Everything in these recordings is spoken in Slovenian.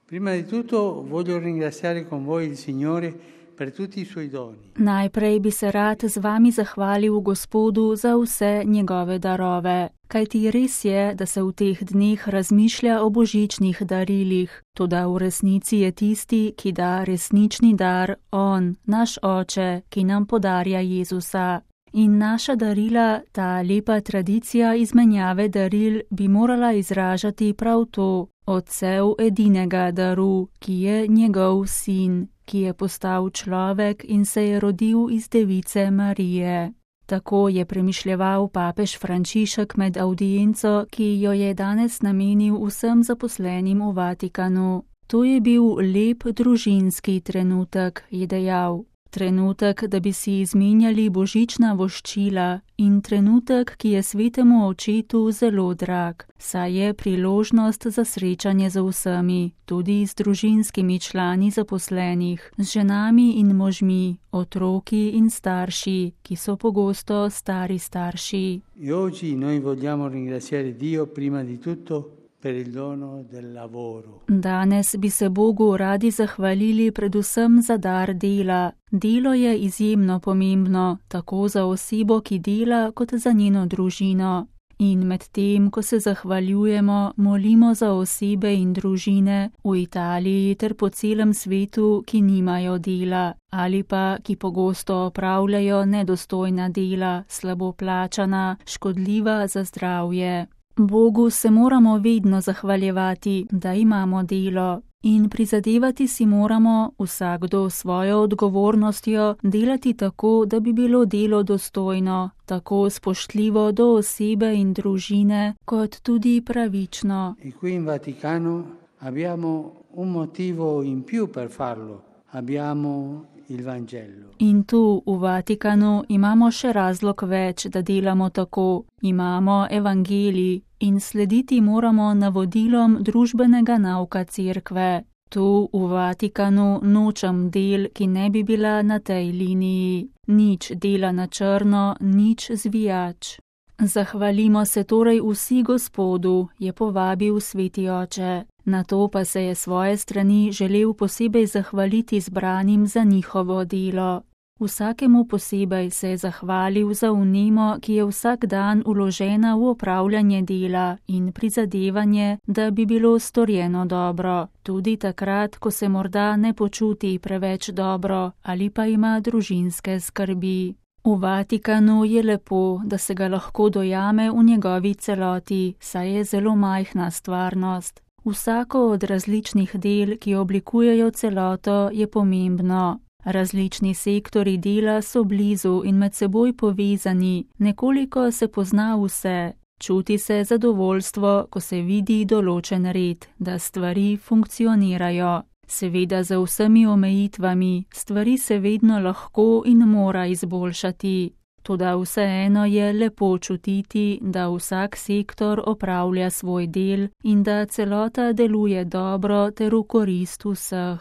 Prima di tutto voglio ringraziare con voi il Signore per tutti i suoi doni. Najprej bi se rad z vami zahvalil Gospodu za vse njegove darove, kajti res je, da se v teh dneh razmišlja o božičnih darilih, toda v resnici je tisti, ki da resnični dar, on, naš Oče, ki nam podarja Jezusa. In naša darila, ta lepa tradicija izmenjave daril, bi morala izražati prav to, Otcev edinega daru, ki je njegov sin, ki je postal človek in se je rodil iz device Marije. Tako je premišljeval papež Frančišek med avdienco, ki jo je danes namenil vsem zaposlenim v Vatikanu. To je bil lep družinski trenutek, je dejal. Trenutek, da bi si izmenjali božična voščila in trenutek, ki je svetemu očetu zelo drag, saj je priložnost za srečanje z vsemi, tudi z družinskimi člani zaposlenih, z ženami in možmi, otroki in starši, ki so pogosto stari starši. E oggi noi vogliamo ringraziare Dio prima di tutto per il dono del lavoro. Danes bi se Bogu radi zahvalili predvsem za dar dela. Delo je izjemno pomembno, tako za osebo, ki dela, kot za njeno družino. In med tem, ko se zahvaljujemo, molimo za osebe in družine v Italiji ter po celem svetu, ki nimajo dela ali pa ki pogosto opravljajo nedostojna dela, slabo plačana, škodljiva za zdravje. Bogu se moramo vedno zahvaljevati, da imamo delo, in prizadevati si moramo, vsakdo svojo odgovornostjo, delati tako, da bi bilo delo dostojno, tako spoštljivo do osebe in družine, kot tudi pravično. E qui in Vaticano abbiamo un motivo in più per farlo. Abbiamo il Vangelo. In tu v Vatikanu imamo še razlog več, da delamo tako. Imamo evangelij in slediti moramo navodilom družbenega nauka cerkve. Tu v Vatikanu nočem del, ki ne bi bila na tej liniji. Nič dela na črno, nič zvijač. Zahvalimo se torej vsi Gospodu, je povabil Sveti Oče. Na to pa se je svoje strani želel posebej zahvaliti zbranim za njihovo delo. Vsakemu posebej se je zahvalil za vnemo, ki je vsak dan vložena v opravljanje dela in prizadevanje, da bi bilo storjeno dobro, tudi takrat, ko se morda ne počuti preveč dobro ali pa ima družinske skrbi. V Vatikanu je lepo, da se ga lahko dojame v njegovi celoti, saj je zelo majhna stvarnost. Vsako od različnih del, ki oblikujejo celoto, je pomembno. Različni sektori dela so blizu in med seboj povezani, nekoliko se pozna vse. Čuti se zadovoljstvo, ko se vidi določen red, da stvari funkcionirajo. Seveda za vsemi omejitvami, stvari se vedno lahko in mora izboljšati. Toda vseeno je lepo čutiti, da vsak sektor opravlja svoj del in da celota deluje dobro ter v korist vseh.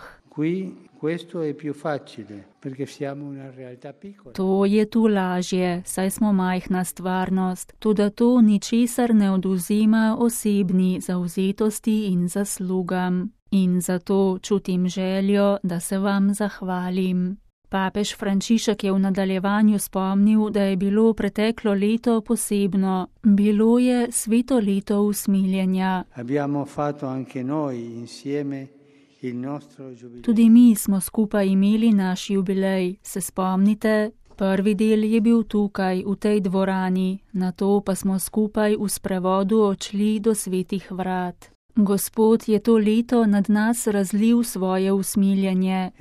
To je tu lažje, saj smo majhna stvarnost, toda to ničesar ne odvzema osebni zavzetosti in zaslugam. In zato čutim željo, da se vam zahvalim. Papež Frančišek je v nadaljevanju spomnil, da je bilo preteklo leto posebno. Bilo je sveto leto usmiljenja. Tudi mi smo skupaj imeli naš jubilej, se spomnite? Prvi del je bil tukaj, v tej dvorani, nato pa smo skupaj v sprevodu odšli do svetih vrat. Gospod je to leto nad nas razlil svoje usmiljenje.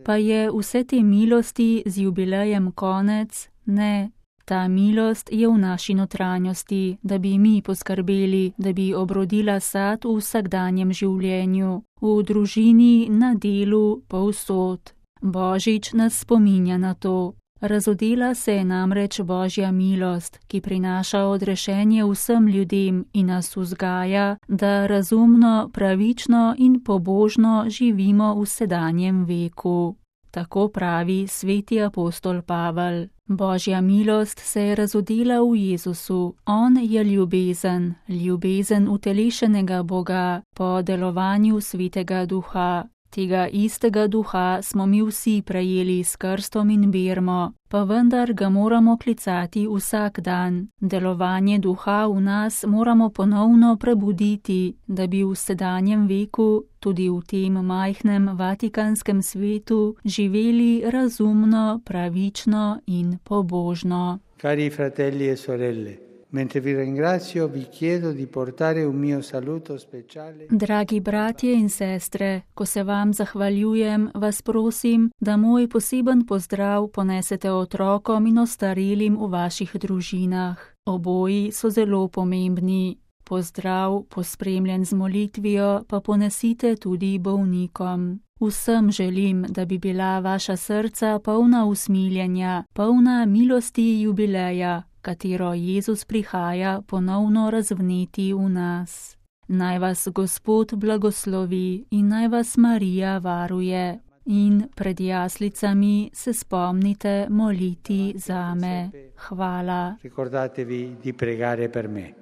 Pa je vse te milosti z jubilejem konec? Ne. Ta milost je v naši notranjosti, da bi mi poskrbeli, da bi obrodila sad v vsakdanjem življenju, v družini, na delu, povsod. Božič nas spominja na to. Razodela se je namreč Božja milost, ki prinaša odrešenje vsem ljudem in nas vzgaja, da razumno, pravično in pobožno živimo v sedanjem veku. Tako pravi sveti apostol Pavel. Božja milost se je razodela v Jezusu. On je ljubezen, ljubezen utelešenega Boga po delovanju Svetega Duha. Tega istega duha smo mi vsi prejeli s krstom in birmo, pa vendar ga moramo klicati vsak dan. Delovanje duha v nas moramo ponovno prebuditi, da bi v sedanjem veku, tudi v tem majhnem vatikanskem svetu, živeli razumno, pravično in pobožno. Cari fratelli e sorelle, mentre vi ringrazio, vi chiedo di portare un mio saluto speciale. Dragi bratje in sestre, ko se vam zahvaljujem, vas prosim, da moj poseben pozdrav ponesete otrokom in ostarelim v vaših družinah. Oboji so zelo pomembni. Pozdrav, pospremljen z molitvijo, pa ponesite tudi bolnikom. Vsem želim, da bi bila vaša srca polna usmiljenja, polna milosti jubileja, katero Jezus prihaja ponovno razvneti v nas. Naj vas Gospod blagoslovi in naj vas Marija varuje. In pred jaslicami se spomnite moliti zame. Hvala. Ricordatevi di pregare per me.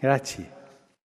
Grazie.